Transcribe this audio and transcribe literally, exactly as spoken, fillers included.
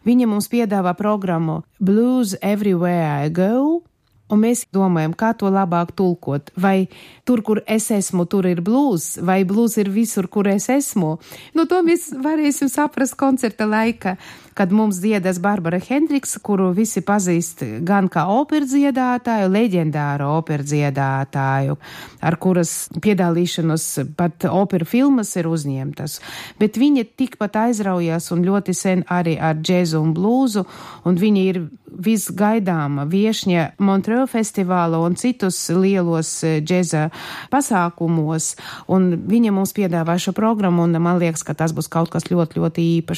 Viņa mums piedāvā programmu Blues Everywhere I Go, un mēs domājam, kā to labāk tulkot. Vai tur, kur es esmu, tur ir blues, vai blues ir visur, kur es esmu. Nu, to mēs varēsim saprast koncerta laika, kad mums dziedas Barbara Hendriksa, kuru visi pazīst gan kā operdziedātāju, leģendāru operdziedātāju, ar kuras piedalīšanos pat opera filmas ir uzņemtas. Bet viņa tikpat aizraujās un ļoti sen arī ar džezu un blūzu, un viņa ir visgaidāma viešņa Montreux festivāla un citus lielos džeza pasākumos, un viņa mums piedāvā šo programmu, un man liekas, ka tas būs kaut kas ļoti, ļoti īpašs.